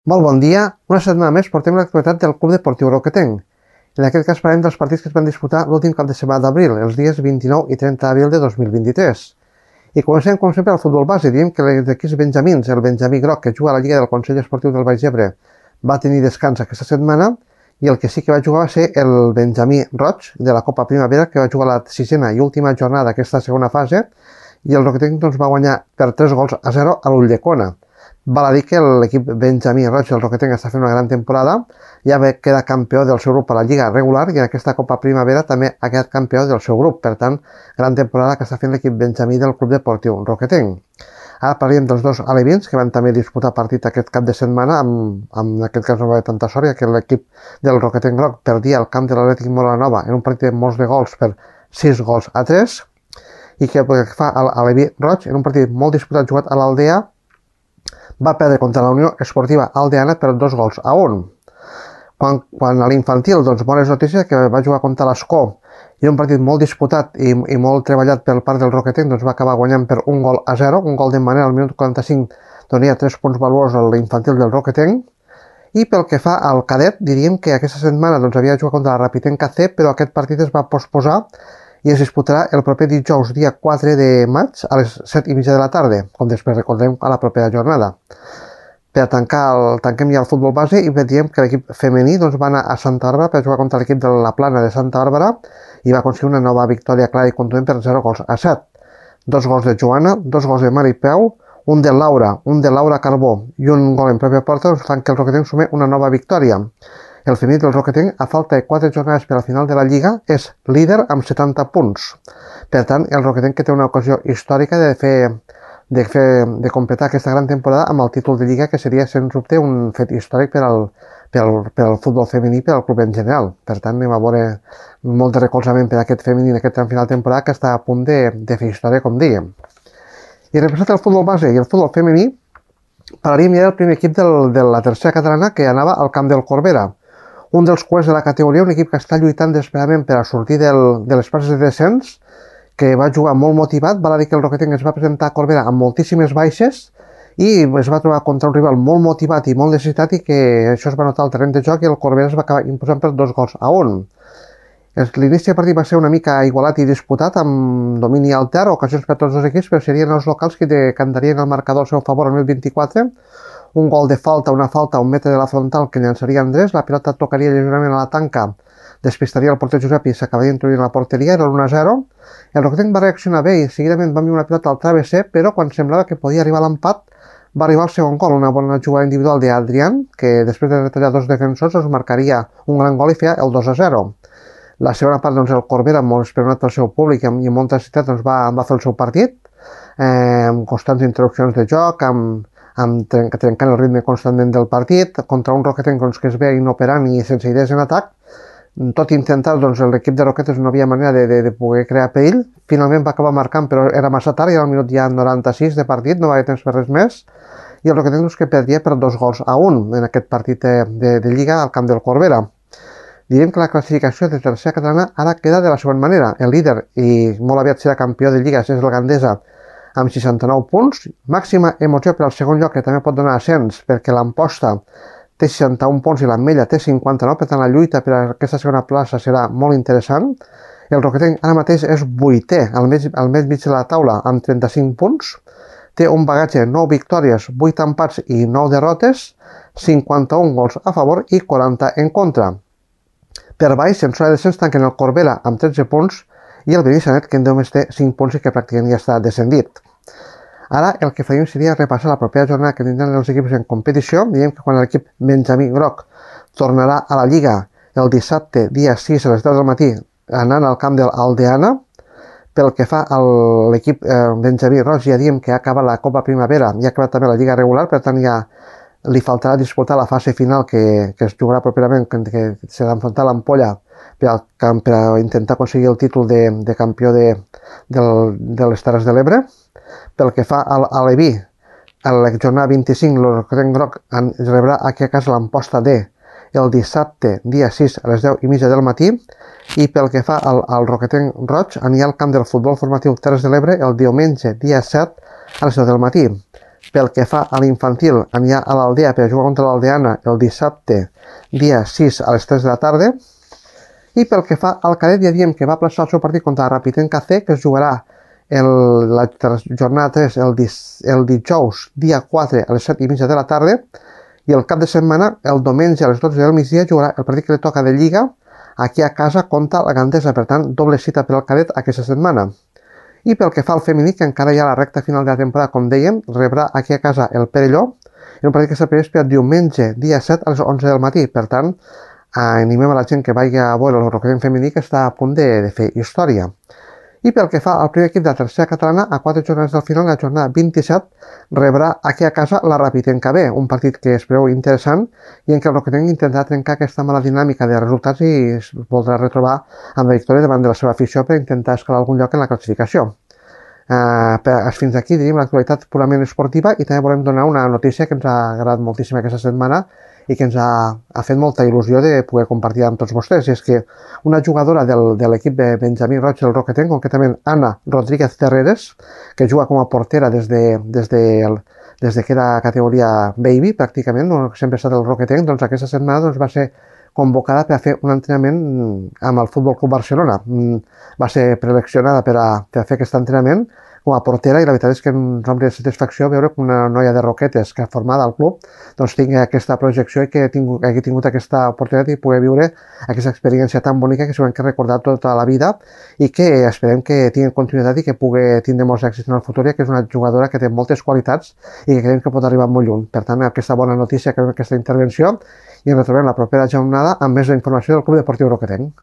Molt bon dia. Una setmana més portem l'actualitat del Club Deportiu Roquetenc. En aquest cas parlem dels partits que es van disputar l'últim cap de setmana d'abril, els dies 29 i 30 d'abril de 2023. I comencem, com sempre, al futbol base. Diem que els equips benjamins, el benjamí groc, que juga a la Lliga del Consell Esportiu del Baix Ebre, va tenir descans aquesta setmana, i el que sí que va jugar va ser el benjamí roig de la Copa Primavera, que va jugar la sisena i última jornada d'aquesta segona fase, i el Roquetenc va guanyar per 3-0 a l'Ulldecona. Val a dir que l'equip benjamí roig del Roquetenc està fent una gran temporada, ja queda campió del seu grup a la Lliga regular i en aquesta Copa Primavera també ha quedat campió del seu grup. Per tant, gran temporada que està fent l'equip benjamí del Club Deportiu Roquetenc. Ara parlem dels dos alevins que van també disputar partit aquest cap de setmana, en aquest cas no va haver tanta sort, ja que l'equip del Roquetenc groc perdia el camp de l'Atlètic Molanova en un partit de molts de gols per 6-3, i que pel que fa a l'aleví roig, en un partit molt disputat jugat a l'Aldea, va perdre contra la Unió Esportiva Aldeana per 2-1. Quan a l'infantil, doncs, bones notícies, que va jugar contra l'Escó, i un partit molt disputat i molt treballat per part del Roquetenc, doncs va acabar guanyant per 1-0, un gol de Manel al minut 45, donia 3 punts valuosos a l'infantil del Roquetenc. I pel que fa al cadet, diríem que aquesta setmana doncs, havia jugat contra la Rapitenca C, però aquest partit es va posposar i es disputarà el proper dijous, dia 4 de maig, a les 7:30 de la tarda, com després recordem a la propera jornada. Per tanquem ja el futbol base i diem que l'equip femení doncs, va anar a Santa Bàrbara per jugar contra l'equip de la Plana de Santa Bàrbara i va aconseguir una nova victòria clara i contundent per 0-7. 2 gols de Joana, 2 gols de Mari Peu, un de Laura Carbó i un gol en pròpia porta doncs, fan que el Roquetenc sumi una nova victòria. El femení del Roquetenc, a falta de 4 jornades per al final de la Lliga, és líder amb 70 punts. Per tant, el Roquetenc que té una ocasió històrica de completar aquesta gran temporada amb el títol de Lliga, que seria, sens dubte, un fet històric per al futbol femení i per al club en general. Per tant, anem a veure molt de recolzament per a aquest femení en aquest tram final de temporada que està a punt de fer història, com dèiem. I representant el futbol base i el futbol femení, parlaríem ja del primer equip de la tercera catalana que anava al camp del Corbera. Un dels cuers de la categoria, un equip que està lluitant desesperadament per a sortir de les places de descens, que va jugar molt motivat. Val a dir que el Roquetenc es va presentar a Corbera amb moltíssimes baixes i es va trobar contra un rival molt motivat i molt necessitat, i que això es va notar al terreny de joc i el Corbera es va acabar imposant per 2-1. L'inici del partit va ser una mica igualat i disputat, amb domini altern, ocasions per tots els equips, però serien els locals que decantarien el marcador al seu favor al minut 24. Un gol de falta, una falta a 1 metre de la frontal que llançaria Andrés, la pilota tocaria lleugerament a la tanca, despistaria el porter Josep i s'acabaria introduint a la porteria, era l'1-0. El Roquetenc va reaccionar bé i seguidament va enviar una pilota al travesser, però quan semblava que podia arribar a l'empat, va arribar el segon gol, una bona jugada individual d'Adrián, que després de retallar 2 defensors es marcaria un gran gol i feia el 2-0. La segona part, doncs, el Corbera, molt esperonat pel seu públic i amb molta necessitat, doncs, va fer el seu partit, amb constants interrupcions de joc, trencant el ritme constantment del partit, contra un Roquetenc doncs, que es ve inoperant i sense idees en atac. Tot i intentar, doncs, l'equip de Roquetes no havia manera de poder crear perill. Finalment va acabar marcant, però era massa tard, i al minut ja 96 de partit, no va haver temps per res més, i el Roquetenc doncs, que perdia per 2-1 en aquest partit de Lliga al camp del Corbera. Direm que la classificació de tercera catalana ara queda de la següent manera. El líder, i molt aviat serà campió de Lliga, és el Gandesa, amb 69 punts, màxima emoció per al segon lloc, que també pot donar ascens, perquè l'Amposta té 61 punts i l'Ametlla té 59, per tant la lluita per a aquesta segona plaça serà molt interessant. El Roquetenc ara mateix és 8è, al mig de la taula, amb 35 punts, té un bagatge de 9 victòries, 8 empats i 9 derrotes, 51 gols a favor i 40 en contra. Per baix, en zona de descens, tanquen el Corbera amb 13 punts i el Benissanet, que només té 5 punts i que pràcticament ja està descendit. Ara el que faríem seria repassar la propera jornada que tindran els equips en competició. Diem que quan l'equip benjamí groc tornarà a la Lliga el dissabte, dia 6 a les 10 del matí, anant al camp de l'Aldeana. Pel que fa a l'equip benjamí roig, ja diem que ha acabat la Copa Primavera i ha acabat també la Lliga regular, per tant ja li faltarà disputar la fase final que es jugarà properament, que serà enfrontar l'Ampolla per a intentar aconseguir el títol de campió de les Terres de l'Ebre. Pel que fa a l'Aleví, a la jornada 25, el Roquetenc groc rebrà aquí a casa l'Amposta D el dissabte, dia 6, a les 10:30 del matí, i pel que fa al Roquetenc roig, anirà al camp del futbol formatiu Terres de l'Ebre el diumenge, dia 7, a les 10 del matí. Pel que fa a l'infantil, anirà a l'Aldea per jugar contra l'Aldeana el dissabte, dia 6 a les 3 de la tarda. I pel que fa al cadet, ja diem que va plaçar el seu partit contra el Rapitenca C, que es jugarà la jornada 3 el dijous, dia 4 a les 7:30 de la tarda, i el cap de setmana, el diumenge a les 12 del migdia, jugarà el partit que li toca de Lliga aquí a casa contra la Gandesa. Per tant, doble cita per al cadet aquesta setmana. I pel que fa al femení, que encara hi ha la recta final de la temporada, com dèiem, rebrà aquí a casa el Perelló, en un partit que s'ha previst per diumenge, dia 7 a les 11 del matí. Per tant, animem a la gent que vagi a veure el Roquetenc femení, que està a punt de fer història. I pel que fa al primer equip de la tercera catalana, a 4 jornades del final, la jornada 27, rebrà aquí a casa la Rapitenca B, un partit que es preveu interessant i en què el Roquetenc intentarà trencar aquesta mala dinàmica de resultats i es voldrà retrobar amb la victòria davant de la seva afició per intentar escalar algun lloc en la classificació. Fins aquí diríem l'actualitat purament esportiva, i també volem donar una notícia que ens ha agradat moltíssim aquesta setmana i que ens ha fet molta il·lusió de poder compartir amb tots vostès, i és que una jugadora de l'equip de Benjamí Roig del Roquetenc, concretament Anna Rodríguez Terreres, que juga com a portera des que era categoria baby, pràcticament, no? Sempre ha estat el Roquetenc, doncs aquesta setmana va ser convocada per a fer un entrenament amb el Futbol Club Barcelona. Va ser preseleccionada per a fer aquest entrenament com a portera, i la veritat és que ens omple de satisfacció veure que una noia de Roquetes que ha format al club doncs tingui aquesta projecció i que hagi tingut aquesta oportunitat i poder viure aquesta experiència tan bonica que s'ho hem recordar tota la vida, i que esperem que tingui continuïtat i que pugui tindre molts èxits en el futur, ja que és una jugadora que té moltes qualitats i que creiem que pot arribar molt lluny. Per tant, aquesta bona notícia, que aquesta intervenció, i ens retrobem la propera jornada amb més informació del Club Deportiu Roquetenc.